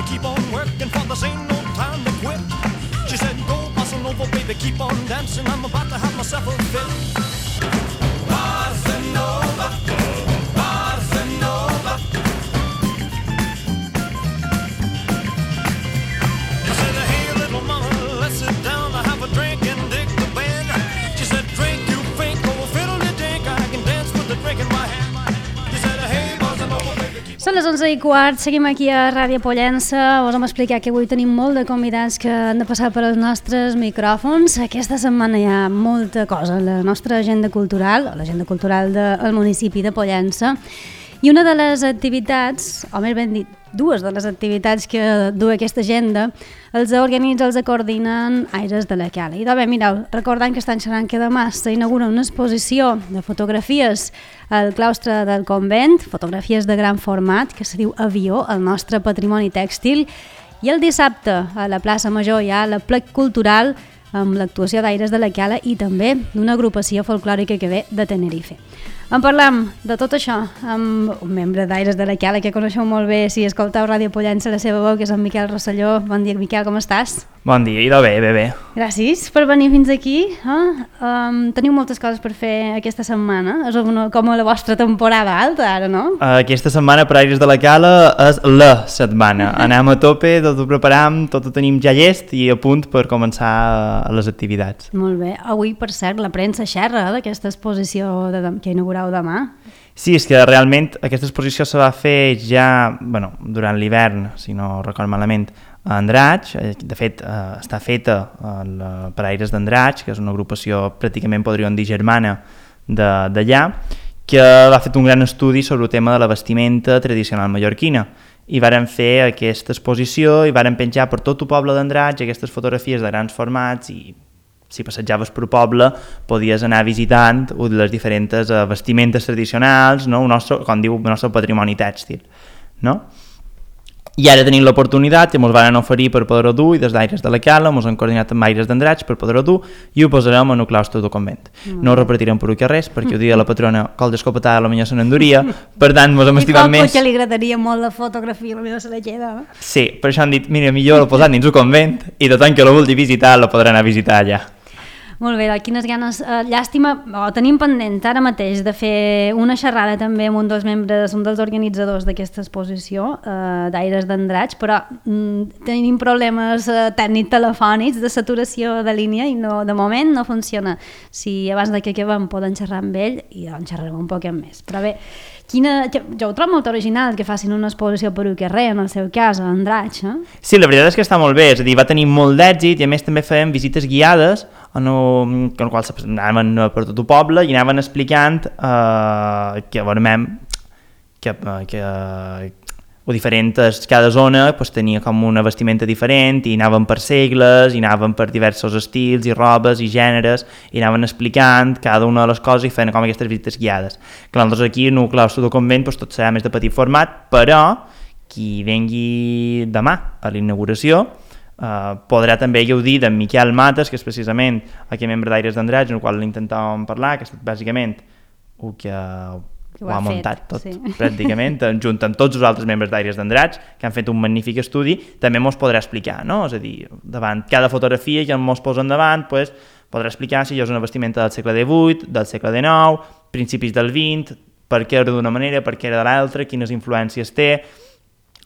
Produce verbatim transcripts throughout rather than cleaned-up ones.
Keep on working for this ain't no time to quit. She said, go bossa nova, baby, keep on dancing. I'm about to have myself a fit. Bossa nova, bossa nova. I said, hey, little mama, let's sit down to have a drink and dig the band. She said, drink, you think, oh, fiddle you dink, I can dance with the drink in my hand. She said, hey, bossa nova, baby, keep on. Són les onze i quart, seguim aquí a Ràdio Pollença. Us hem explicat que avui tenim molt de convidats que han de passar per als nostres micròfons. Aquesta setmana hi ha molta cosa a la nostra agenda cultural, a l'agenda cultural del municipi de Pollença. I una de les activitats, o més ben dit, dues de les activitats que du aquesta agenda, els organitza, els coordinen Aires de la Cala. I de bé, mireu, recordant que estan xerrant que demà s'inaugura una exposició de fotografies al claustre del convent, fotografies de gran format, que se diu Avió, el nostre patrimoni tèxtil, i el dissabte a la plaça Major hi ha la plec cultural amb l'actuació d'Aires de la Cala i també d'una agrupació folclòrica que ve de Tenerife. En parlam de tot això amb un membre d'Aires de la Cala que coneixeu molt bé si escolteu Ràdio Pollença, la seva veu, que és en Miquel Rosselló. Bon dia, Miquel, com estàs? Bon dia, idò bé, bé, bé. Gràcies per venir fins aquí. Eh? Um, teniu moltes coses per fer aquesta setmana. És una, com a la vostra temporada alta, ara, no? Aquesta setmana per Aires de la Cala és la setmana. Anem a tope, tot ho preparam, tot ho tenim ja llest i a punt per començar les activitats. Molt bé. Avui, per cert, la premsa xerra d'aquesta exposició de, que inaugurau demà. Sí, és que realment aquesta exposició se va fer ja bueno, durant l'hivern, si no recordo malament, a Andratx. De fet, eh, està feta eh, per Aires d'Andratx, que és una agrupació pràcticament, podríem dir, germana d'allà, que va fer un gran estudi sobre el tema de la vestimenta tradicional mallorquina. I varen fer aquesta exposició i varen penjar per tot el poble d'Andratx aquestes fotografies de grans formats i si passejaves per poble podies anar visitant les diferents uh, vestimentes tradicionals, no? el nostre, com diu, el nostre patrimoni tèxtil. No? I ara tenim l'oportunitat que ens van oferir per poder-ho dur i des d'Aires de la Cala ens han coordinat amb Aires d'Andratx per poder-ho dur i ho posarem en el claustre del convent. Mm. No ho repetirem per aquí res perquè ho dia la patrona col d'escopetada potser se n'enduria, per tant ens hem estimat més. I pot que li agradaria molt la fotografia, potser se la queda. Sí, per això han dit, mira, millor l'ho posat dins el convent i de tant que lo vulgui visitar lo podrà anar a visitar allà. Molt bé, quines ganes. Uh, llàstima, oh, tenim pendent ara mateix de fer una xerrada també amb un dels membres, un dels organitzadors d'aquesta exposició uh, d'Aires d'Andratx, però mm, tenim problemes uh, tècnics telefònics de saturació de línia i no, de moment no funciona. Si abans de que acabem poden xerrar amb ell i doncs xerrarem un poc més. Però bé, quina, jo ho trobo molt original que facin una exposició per un carrer, en el seu cas, a Andratx. Eh? Sí, la veritat és que està molt bé, és a dir, va tenir molt d'èxit i a més també fèiem visites guiades en el qual anaven per tot el poble i anaven explicant eh, que, veurem, que, que o diferents, cada zona pues, tenia com una vestimenta diferent i anaven per segles, i anaven per diversos estils i robes i gèneres i anaven explicant cada una de les coses i feien com aquestes visites guiades. Que nosaltres aquí en el claustre del convent pues, tot serà més de petit format, però qui vengui demà a la inauguració Uh, podrà també gaudir d'en Miquel Mates, que és precisament aquest membre d'Aires d'Andratx, en el qual intentàvem parlar, que és bàsicament el que, que ho ha, ha muntat tot, sí. Pràcticament, junt amb tots els altres membres d'Aires d'Andratx, que han fet un magnífic estudi, també mos podrà explicar, no? És a dir, davant cada fotografia que mos posen davant, pues, podrà explicar si és una vestimenta del segle divuit, del segle dinou, principis del vint, per què era d'una manera, per què era de l'altra, quines influències té.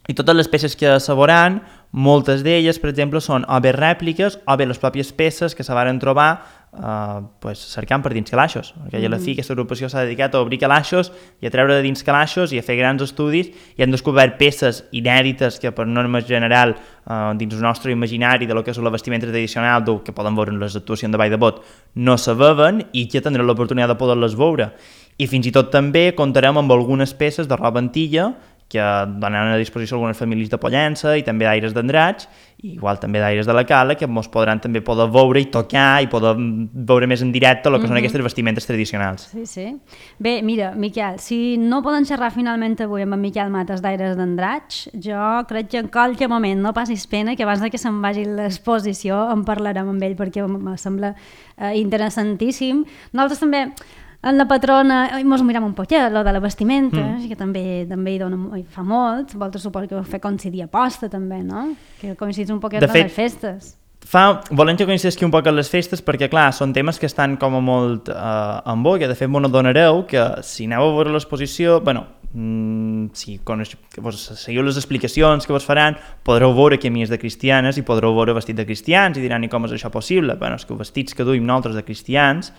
I totes les peces que se veuran, moltes d'elles, per exemple, són o bé rèpliques o bé les pròpies peces que se varen trobar eh, pues, cercant per dins calaixos. Perquè a la fi aquesta agrupació s'ha dedicat a obrir calaixos i a treure de dins calaixos i a fer grans estudis i han descobert peces inèdites que per norma general eh, dins el nostre imaginari de lo que és la vestimenta tradicional del que poden veure en les actuacions de Vall de Bot no se veuen i que tindrem l'oportunitat de poder-les veure. I fins i tot també comptarem amb algunes peces de roba antiga que donen a disposició algunes famílies de Pollença i també d'Aires d'Andratx, i igual també d'Aires de la Cala, que ens podran també poder veure i tocar i poder veure més en directe el que mm-hmm. són aquestes vestimentes tradicionals. Sí, sí. Bé, mira, Miquel, si no poden xerrar finalment avui amb en Miquel Matas d'Aires d'Andratx, jo crec que en qualsevol moment no passis pena que abans que se'n vagi l'exposició en parlarem amb ell, perquè em sembla eh, interessantíssim. Nosaltres també en la patrona, ens mirem un poquet, lo de la vestimenta, mm. que també també hi, dona, hi fa molt, vosaltres suposo que ho fer coincidir a posta també, no? Que coincidís un poquet amb les festes. Fa, volem que coincidisqui un poc amb les festes perquè, clar, són temes que estan com a molt eh, en boga. De fet, m'ho adonareu que si aneu a veure l'exposició, bueno, mm, si coneix, que vos seguiu les explicacions que vos faran, podreu veure camies de cristianes i podreu veure vestit de cristians i diran, i com és això possible? Bueno, és que els vestits que duim nosaltres de cristians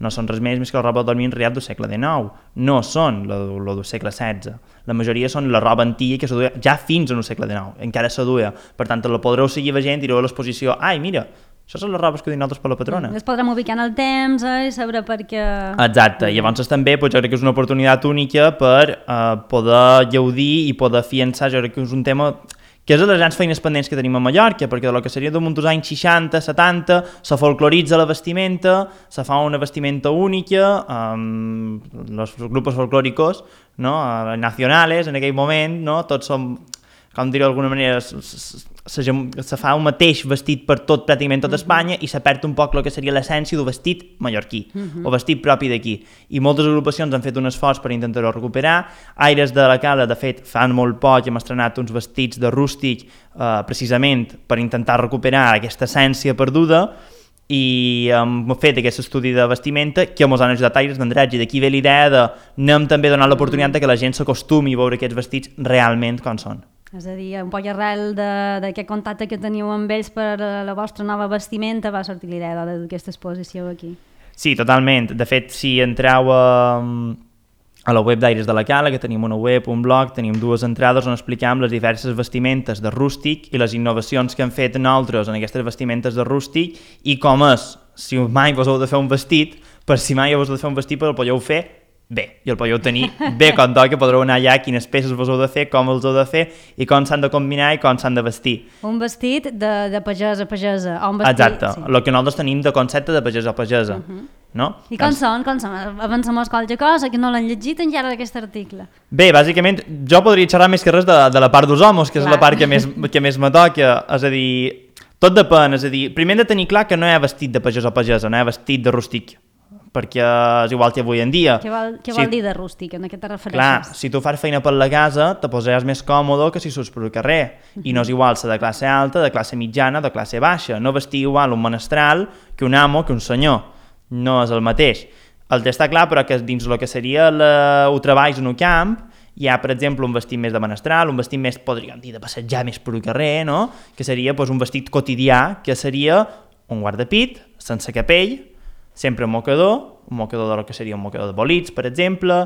no són res més més que la roba de dormir enriat del segle dinou, no són el del segle setze. La majoria són la roba antiga que se duia ja fins al segle dinou, encara se duia. Per tant, la podreu seguir veient i direu a l'exposició, ai, mira, això són les robes que duim nosaltres per la patrona. Les podrem ubicar en el temps eh, i saber per què... Exacte, i llavors també pues, jo crec que és una oportunitat única per eh, poder gaudir i poder fiançar, jo crec que és un tema que és de les grans feines pendents que tenim a Mallorca, perquè del que seria damunt dels anys seixanta, setanta, se folcloritza la vestimenta, se fa una vestimenta única, um, els grups folclòricos, no? Nacionales, en aquell moment, no? Tots som, com dir-ho d'alguna manera, se, se fa un mateix vestit per tot, pràcticament tot Espanya, i se perd un poc el que seria l'essència del vestit mallorquí, uh-huh. o vestit propi d'aquí. I moltes agrupacions han fet un esforç per intentar-ho recuperar. Aires de la Cala, de fet, fan molt poc, hem estrenat uns vestits de rústic, eh, precisament per intentar recuperar aquesta essència perduda, i hem fet aquest estudi de vestimenta que ens han ajudat Aires d'Andratx, i d'aquí ve l'idea de anem també donant l'oportunitat que la gent s'acostumi a veure aquests vestits realment com són. És a dir, un poc arrel d'aquest contacte que teniu amb ells per la vostra nova vestimenta va sortir l'idea d'aquesta exposició aquí. Sí, totalment. De fet, si entreu a, a la web d'Aires de la Cala, que tenim una web, un blog, tenim dues entrades on explicam les diverses vestimentes de rústic i les innovacions que han fet nosaltres en aquestes vestimentes de rústic i com és, si mai vos heu de fer un vestit, per si mai vos heu de fer un vestit, però el podeu fer bé, i el podeu tenir bé com toca, podreu anar allà quines peces vos heu de fer, com els heu de fer i com s'han de combinar i com s'han de vestir. Un vestit de, de pagès a pagesa. O un vestit... Exacte, sí. El que nosaltres tenim de concepte de pagès a pagesa. Uh-huh. No? I com són? Com són? Avancem qualque cosa que no l'han llegit encara d'aquest article. Bé, bàsicament, jo podria xerrar més que res de, de la part dels homes, que Clar. És la part que més, que més me toca, és a dir, tot depèn, és a dir, primer hem de tenir clar que no hi ha vestit de pagès a pagesa, no hi ha vestit de rústic, perquè és igual que avui en dia. Què vol, què vol si, dir de rústic, en què te refereixes? Clar, si tu fas feina per la casa, te posaràs més còmode que si surts per el carrer. Uh-huh. I no és igual ser de classe alta, de classe mitjana, de classe baixa. No vestir igual un menestral que un amo, que un senyor. No és el mateix. El que està clar, però, que dins el que seria la, el treball en un camp, hi ha, per exemple, un vestit més de menestral, un vestit més, podríem dir, de passejar més per el carrer, no? Que seria pues, un vestit quotidià, que seria un guardapit, sense capell, sempre un mocador, un mocador del que seria un mocador de bolits, per exemple,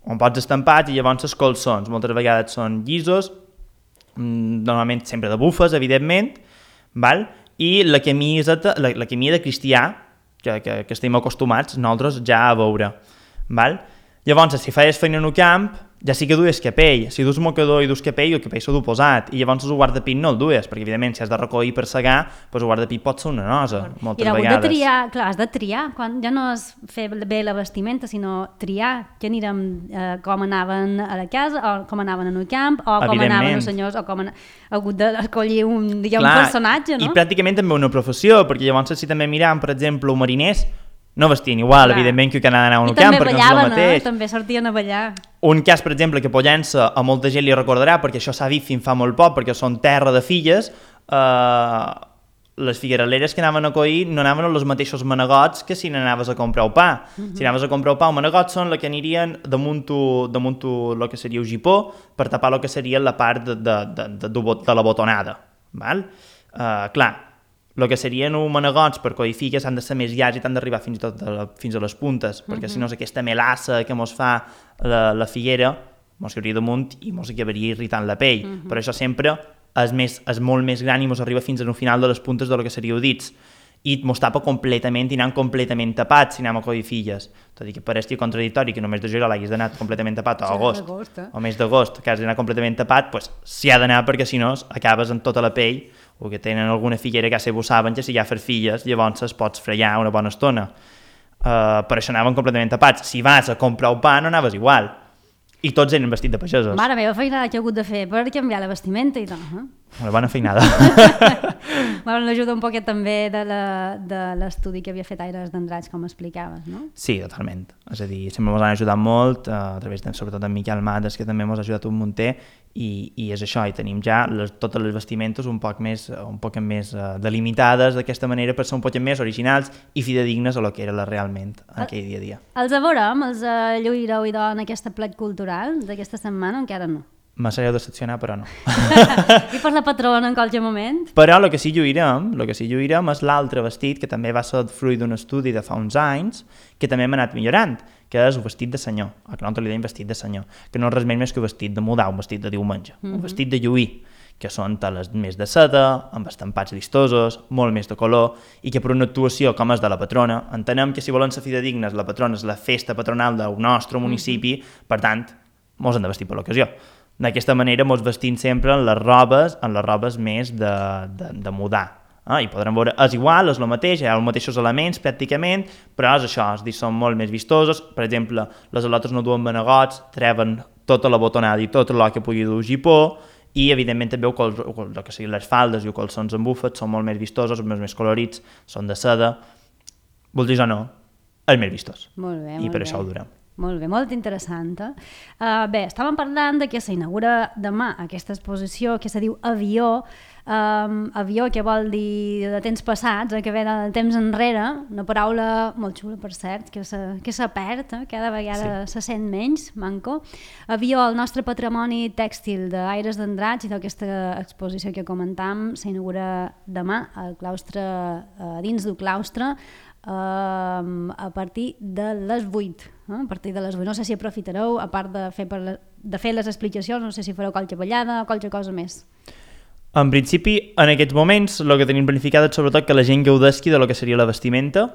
on pots estampats i llavors els colzons, moltes vegades són llisos, normalment sempre de bufes, evidentment, val? I la camiseta, la, la camisa de cristià, que, que, que estem acostumats nosaltres ja a veure. Val? Llavors, si feies feina en un camp, ja sí que dues capell. Si dus mocador i dus capell, el capell s'ha d'oposat. I llavors el guardapit no el dues, perquè evidentment si has de recollir per segar, doncs el guardapit pot ser una nosa, moltes I vegades. De triar, clar, has de triar, quan ja no és fer bé la vestimenta, sinó triar que anirem eh, com anaven a la casa, o com anaven en un camp, o com anaven els senyors, o com han hagut d'escollir un, diguem, un personatge, no? I pràcticament també una professió, perquè llavors si també miram, per exemple, els mariners, no vestien igual, Clar. Evidentment, que que anaven a un camp, perquè no és el mateix. I també sortien a ballar. Un cas, per exemple, que Pollença a molta gent li recordarà, perquè això s'ha dit fins fa molt poc, perquè són terra de filles, eh, les figueraleres que anaven a collir no anaven als mateixos manegots que si n'anaves a comprar el pa. Uh-huh. Si anaves a comprar el pa, els manegots són els que anirien damunt el que seria el gipó, per tapar el que seria la part de, de, de, de, de la botonada. Val? Uh, clar, el que serien uns manegots per collir figues han de ser més llargs i han d'arribar fins i tot a, la, fins a les puntes, uh-huh. perquè si no és aquesta melassa que mos fa la, la figuera, mos cauria damunt i mos acabaria irritant la pell. Uh-huh. Per això sempre és, més, és molt més gran i mos arriba fins al final de les puntes del que seria dits. i mos tapa completament i anem completament tapats si anem a Codifilles. Tot i que pareixia contradictori que només de juliol hagis d'anar completament tapat o agost, eh? o mes d'agost que has d'anar completament tapat, pues, s'hi ha d'anar perquè si no acabes amb tota la pell, o que tenen alguna figuera que ho saben que si hi ha farfilles llavors es pots fregar una bona estona. Uh, per això anaven completament tapats. Si vas a comprar un pa no anaves igual. I tots eren vestits de pagesos. Mare meva, feinada que he hagut de fer per canviar la vestimenta i tot. Eh? Una bona feinada. Bueno, l'ajuda un poquet també de la- de l'estudi que havia fet Aires d'Andratx, com explicaves, no? Sí, totalment. És a dir, sempre ens han ajudat molt, uh, a través de, sobretot en Miquel Mates, que també ens ha ajudat un munter, i, i és això, i tenim ja les, totes les vestimentes un poc més, un poc més uh, delimitades d'aquesta manera per ser un poc més originals i fidedignes a lo que era la realment en aquell dia a dia. Els veurem, els uh, lluireu i do en aquesta plet cultural d'aquesta setmana, encara no. Me sabeu decepcionar, però no. I per la patrona en qualsevol moment? Però el que sí lluirem, el que sí lluirem és l'altre vestit, que també va ser fruit d'un estudi de fa uns anys, que també hem anat millorant, que és un vestit de senyor, el que nosaltres li dèiem vestit de senyor, que no és res més que un vestit de mudar, un vestit de diumenge, mm-hmm. un vestit de lluir, que són teles més de seda, amb estampats vistosos, molt més de color, i que per una actuació com és de la patrona, entenem que si volen ser fidedignes, la patrona és la festa patronal del nostre municipi, mm-hmm. per tant, mos hem de vestir per l'ocasió. D'aquesta manera mos vestim sempre en les robes, en les robes més de, de, de mudar. Ah, i podrem veure, és igual, és el mateix, hi ha els mateixos elements pràcticament, però és això, és dir, són molt més vistosos. Per exemple, les al·lotes no duen manegots, treuen tota la botonada i tot el que pugui dur gipó, i evidentment també el, el que siguin les faldes i els calçons amb bufet són molt més vistosos, més, més colorits, són de seda. Vulguis o no, és més vistós. Molt bé, I molt per bé. això ho durem. Molt bé, molt interessant. Eh? Uh, bé, estàvem parlant de que s'inaugura demà aquesta exposició que se diu Avió, um, avió que vol dir de temps passats, eh, que ve de temps enrere, una paraula molt xula, per cert, que se, que se perd, eh? Cada vegada sí. se sent menys, manco. Avió, el nostre patrimoni tèxtil d'Aires d'Andratx, i d'aquesta exposició que comentam s'inaugura demà al claustre, uh, dins del claustre, Uh, a partir de les vuit, eh? a partir de les vuit. No sé si aprofitareu, a part de fer, per la, de fer les explicacions, no sé si fareu qualque ballada o qualque cosa més. En principi, en aquests moments, el que tenim planificat és sobretot que la gent gaudesqui de lo que seria la vestimenta.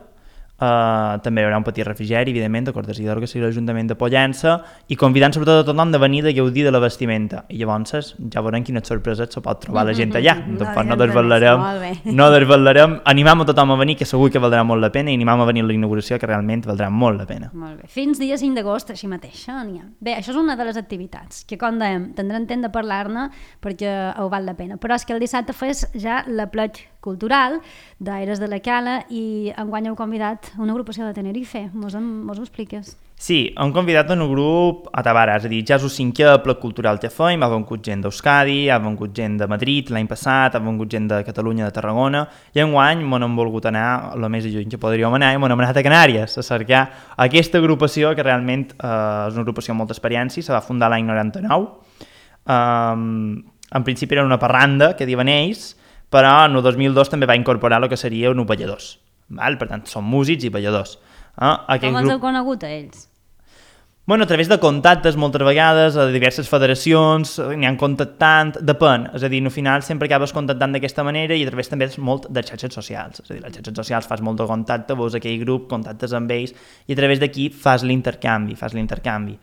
Uh, també hi haurà un petit refrigeri, evidentment, de cortesia del que seria l'Ajuntament de Pollença, i convidant sobretot a tothom de venir de gaudir de la vestimenta. I llavors ja veurem quines sorpreses se pot trobar la gent allà. Mm-hmm. Tampoc no no desvetllarem, no desvetllarem. Animam a tothom a venir, que segur que valdrà molt la pena, i animam a venir a la inauguració, que realment valdrà molt la pena. Molt bé. Fins dia cinc d'agost, així mateix. Eh? N'hi ha. Bé, això és una de les activitats, que com dèiem, tindrem temps de parlar-ne perquè ho val la pena. Però és que el dissabte fes ja la plet cultural d'Aires de la Cala i enguany heu convidat una agrupació de Tenerife. Mos, en, mos ho expliques? Sí, hem convidat un grup a Tabara, és a dir, ja és el cinquè plet cultural que fem, ha vengut gent d'Euskadi, ha vengut gent de Madrid l'any passat, ha vengut gent de Catalunya, de Tarragona, i enguany m'ho hem volgut anar el més lluny que podríem anar i m'ho hem anat a Canàries a cercar aquesta agrupació que realment eh, és una agrupació amb molta experiència, se va fundar l'any noranta-nou. Um, en principi era una parranda que diuen ells, però en el dos mil dos també va incorporar el que seria uns balladors. Val? Per tant, són músics i balladors. Eh? Com els grup... heu conegut a ells? Bueno, a través de contactes, moltes vegades, a diverses federacions, n'hi han contactant, depèn. És a dir, al final sempre acabes contactant d'aquesta manera i a través també és molt de xarxes socials. És a dir, les xarxes socials fas molt de contacte, veus aquell grup, contactes amb ells i a través d'aquí fas l'intercanvi, fas l'intercanvi.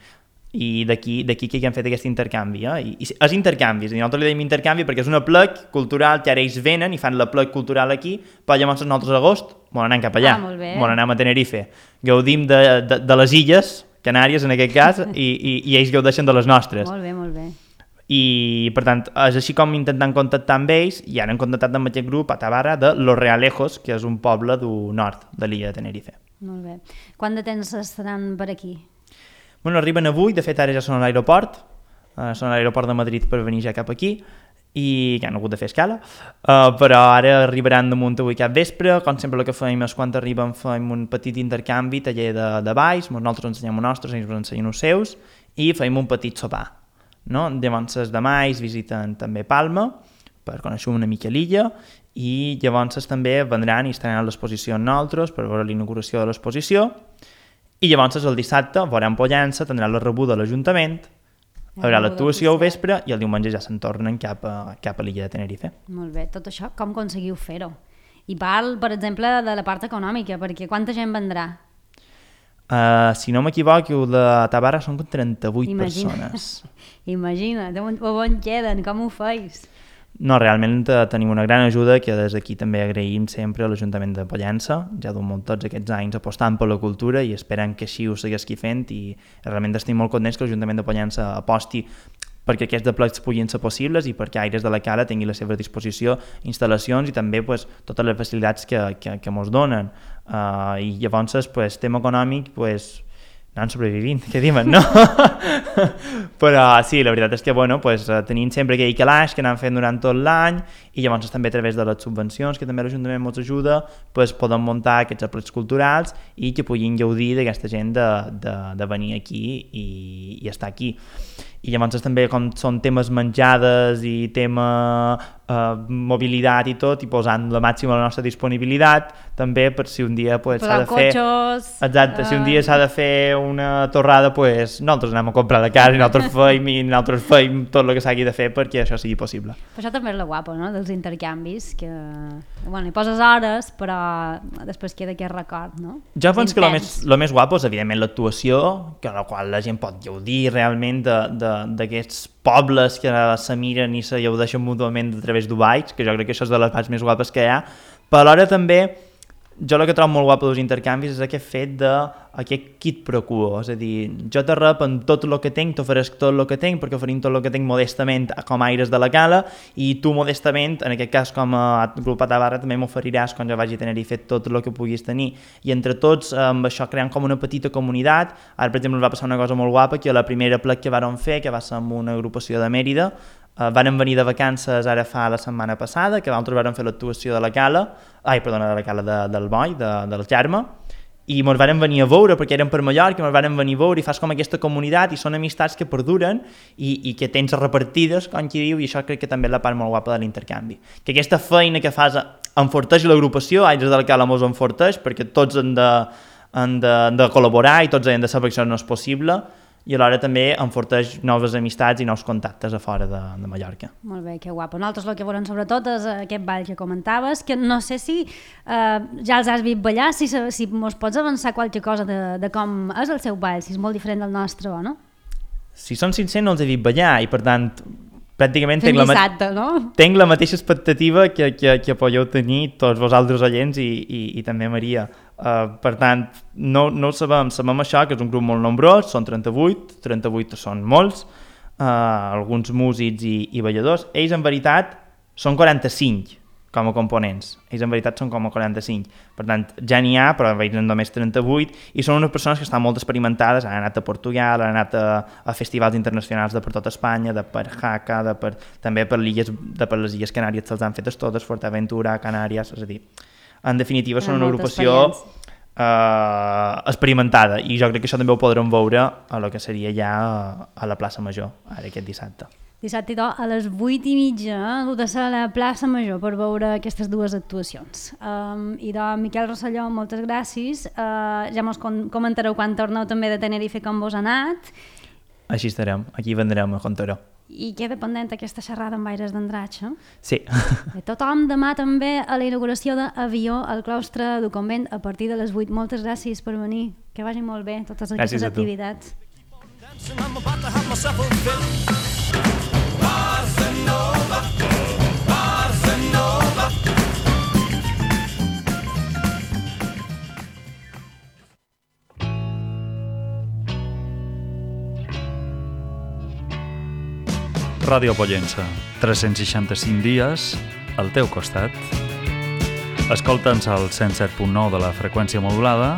I d'aquí d'aquí que hem fet aquest intercanvi. Eh? I, i és intercanvi, és a dir, nosaltres li dèiem intercanvi perquè és una plec cultural que ara ells venen i fan la plec cultural aquí, però llavors nosaltres a agost bon anem cap allà, ah, bon anem a Tenerife. Gaudim de, de, de les illes, Canàries en aquest cas, i, i, i ells gaudeixen de les nostres. Molt bé, molt bé. I, per tant, és així com intentant contactar amb ells, i ara hem contactat amb aquest grup a Tabara de Los Realejos, que és un poble del nord de l'illa de Tenerife. Molt bé. Quant de temps estaran per aquí? Bueno, arriben avui, de fet ara ja són a l'aeroport, uh, són a l'aeroport de Madrid per venir ja cap aquí, i que han hagut de fer escala, uh, però ara arribaran damunt avui cap vespre. Com sempre el que fem és quan arriben fem un petit intercanvi, taller de, de balls, nosaltres ensenyem els nostres, ells ens ensenyen els seus, i fem un petit sopar. No? Llavors els demà ells visiten també Palma, per conèixer una mica l'illa, i llavors també vendran i estaran a l'exposició amb nosaltres per veure l'inauguració de l'exposició, i llavors el dissabte veurem Pollença, tindran la rebuda a l'Ajuntament, hi haurà l'actuació al vespre i el diumenge ja se'n tornen cap a, cap a l'illa de Tenerife. Molt bé, tot això com aconseguiu fer-ho? I parl, per exemple, de la part econòmica, perquè quanta gent vendrà? Uh, si no m'equivoco, de Tabarra són trenta-vuit Imagina. persones. Imagina't, on, on queden, com ho feis? No, realment eh, tenim una gran ajuda que des d'aquí també agraïm sempre a l'Ajuntament de Pollença. Ja durem tots aquests anys apostant per la cultura i esperem que així ho segueixi fent i realment estem molt contents que l'Ajuntament de Pollença aposti perquè aquests plecs puguin ser possibles i perquè Aires de la Cala tingui a la seva disposició instal·lacions i també pues, totes les facilitats que, que, que ens donen. Uh, I llavors, pues, tema econòmic, pues, anant sobrevivint, què diuen, no? Però sí, la veritat és que bueno, pues, tenim sempre aquell calaix que anem fent durant tot l'any i llavors també a través de les subvencions que també l'Ajuntament ens ajuda pues, podem muntar aquests aplecs culturals i que puguin gaudir d'aquesta gent de, de, de venir aquí i, i estar aquí. I llavors també com són temes menjades i tema eh, mobilitat i tot, i posant la màxima la nostra disponibilitat també per si un dia pues, s'ha de fer... cotxos... Exacte, uh... si un dia s'ha de fer una torrada, pues, nosaltres anem a comprar la casa i nosaltres feim i nosaltres feim tot el que s'hagi de fer perquè això sigui possible. Però això també és la guapa, no?, dels intercanvis, que bueno, hi poses hores, però després queda aquest record, no? Jo penso que el més, lo més guapo és, evidentment, l'actuació, que a la qual la gent pot gaudir realment de, de d'aquests pobles que se miren i se gaudeixen mútuament a través d'Ubaix, que jo crec que això és de les parts més guapes que hi ha, però alhora també jo el que trobo molt guapo dels intercanvis és aquest fet d'aquest quid pro quo, és a dir, jo te rep en tot el que tinc, t'ofereix tot el que tinc, perquè oferim tot el que tinc modestament com a Aires de la Cala, i tu modestament, en aquest cas com a grup a Tabarra, també m'oferiràs quan jo vagi a tenir fet tot el que puguis tenir, i entre tots amb això creant com una petita comunitat. Ara per exemple ens va passar una cosa molt guapa, que la primera plec que vàrem fer, que va ser amb una agrupació de Mèrida, Uh, varen venir de vacances ara fa la setmana passada, que nosaltres vàrem fer l'actuació de la Cala, ai, perdona, de la Cala de, del Boi, de, del Germa, i ens varen venir a veure, perquè eren per Mallorca, ens varen venir a veure i fas com aquesta comunitat i són amistats que perduren i, i que tens repartides, com qui diu, i això crec que també és la part molt guapa de l'intercanvi. Que aquesta feina que fas enforteix l'agrupació, Aires de la Cala mos enforteix, perquè tots han de, han de, han de col·laborar i tots han de saber que això no és possible, i alhora també enforteix noves amistats i nous contactes a fora de, de Mallorca. Molt bé, que guapo. Nosaltres el que volem sobretot és aquest ball que comentaves, que no sé si eh, ja els has vist ballar, si, si mos pots avançar qualque cosa de, de com és el seu ball, si és molt diferent del nostre o no? Si són sincers no els he vist ballar i per tant pràcticament tenc la, dissabte, no? tenc la mateixa expectativa que, que, que podeu tenir tots vosaltres oients i, i, i també Maria. Uh, per tant, no, no ho sabem, sabem això, que és un grup molt nombrós, són trenta-vuit, trenta-vuit són molts, uh, alguns músics i, i balladors. Ells en veritat són quaranta-cinc com a components, ells en veritat són com a quaranta-cinc, per tant ja n'hi ha, però ells en només trenta-vuit, i són unes persones que estan molt experimentades, han anat a Portugal, han anat a, a festivals internacionals de per tot Espanya, de per Jaca, de per, també per, illes, de per les Illes Canàries se'ls han fetes totes, Fuerteventura, Canàries, és a dir, en definitiva són una agrupació eh, experimentada, i jo crec que això també ho podrem veure a lo que seria ja a la plaça Major, ara aquest dissabte. Dissabte a les vuit i mitja heu de ser a la plaça Major per veure aquestes dues actuacions. Um, I de Miquel Rosselló, moltes gràcies. Uh, ja mos comentareu quan torneu també de Tenerife com vos ha anat. Així estarem, aquí vendrem a Contaró. I queda pendent aquesta xerrada amb Aires d'Andratx, eh? Sí. I tothom demà també a la inauguració d'Avió al claustre del convent a partir de les vuit. Moltes gràcies per venir, que vagi molt bé totes aquestes activitats. I'm about to have myself a fit. Bossa Nova, Bossa Nova. Ràdio Pollença, tres-cents seixanta-cinc dies al teu costat. Escolta'ns al cent set punt nou de la freqüència modulada